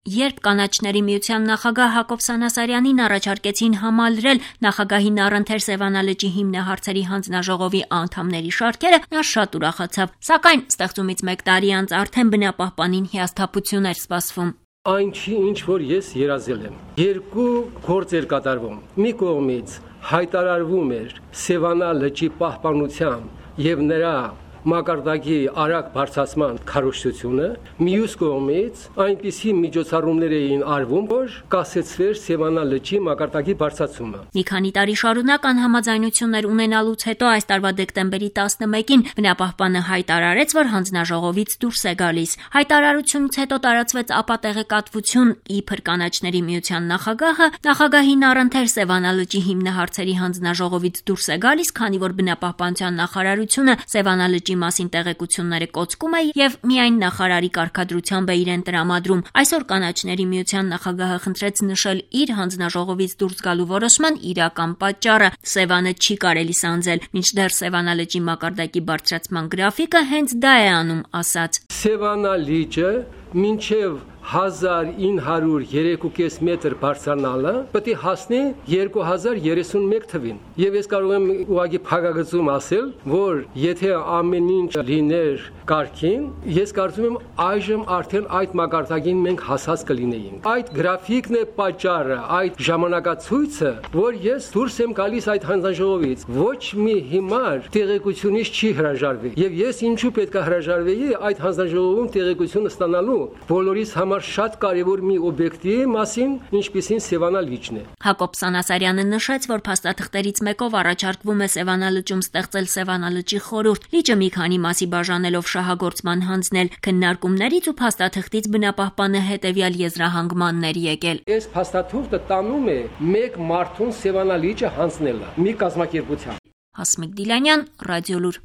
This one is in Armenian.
Երբ կանաչների միության նախագահ Հակոբ Սանասարյանին առաջարկեցին համալրել նախագահին առընթեր Սևանա լճի հիմնահարցերի հանձնաժողովի անդամների շարքերը, նա շատ ուրախացավ, սակայն ստեղծումից 1 տարի անց արդեն բնապահպանին հիասթափություն էր սպասվում։ Այն չի, ինչ որ ես երազել եմ։ 2 գործ էր կատարվում։ Մի կողմից հայտարարվում էր Սևանա լճի պահպանության եւ նրա մակարդակի արագ բարձրացման քարոզչությունը, մյուս կողմից այնպիսի միջոցառումներ էին արվում, որ կասեցվեր Սևանա լճի մակարդակի բարձրացումը։ Մի քանի տարի շարունակ անհամաձայնություններ ունենալուց հետո այս տարվա դեկտեմբերի 11-ին բնապահպանը հայտարարեց, որ հանձնաժողովից դուրս է գալիս։ Հայտարարությունից հետո տարածվեց ապատեղեկատվություն, իբր կանաչների միության նախագահը նախագահին առընթեր Սևանա լճի հիմնահարցերի հանձնաժողովից դուրս է գալիս, քանի որ բնապահպանության նախարարությունը Սևանա լճի մասին տեղեկությունները կոծկում է եւ միայն նախարարի կարգադրությամբ է իրեն տրամադրում։ Այսօր կանաչների միության նախագահը խնդրեց նշել իր հանձնաժողովից դուրս գալու որոշման իրական պատճառը։ Սևանը չի կարելի սանձել, մինչդեռ Սևանա լճի մակարդակի բարձրացման գրաֆիկը հենց դա է անում, ասաց։ Սևանա լիճը մինչև 1903.5 մետր բարձրանալը պետք է հասնի 2031 թվին։ Եվ ես կարող եմ ուղղակի փակագծում ասել, որ եթե ամեն ինչ լիներ կարգին, ես կարծում եմ այժմ արդեն այդ մակարդակին մենք հասած կլինեինք։ Այդ գրաֆիկն է պատճառը, այդ ժամանակացույցը, որ ես դուրս եմ գալիս այդ հանձնաժողովից։ Ոչ մի հիմար տեղեկությունից չի հրաժարվի։ Եվ ես ինչու պետք է հրաժարվեի այդ հանձնաժողովում տեղեկություն ստանալու բոլորիս համար շատ կարևոր մի օբյեկտի մասին, ինչպիսին Սևանա լիճն է։ Հակոբ Սանասարյանը նշեց, որ փաստաթղթերից մեկով առաջարկվում է Սևանա լճում ստեղծել Սևանա լճի խորհուրդ, լիճը մի քանի մասի բաժանելով շահագործման հանձնել։ Քննարկումներից ու փաստաթղթից բնապահպանը հետևյալ եզրահանգմաններ եկել։ Այս փաստաթուղթը տանում է 1 մարդուն Սևանա լիճը հանձնելը մի կազմակերպության։ Հասմիկ Դիլանյան, Ռադիոլուր։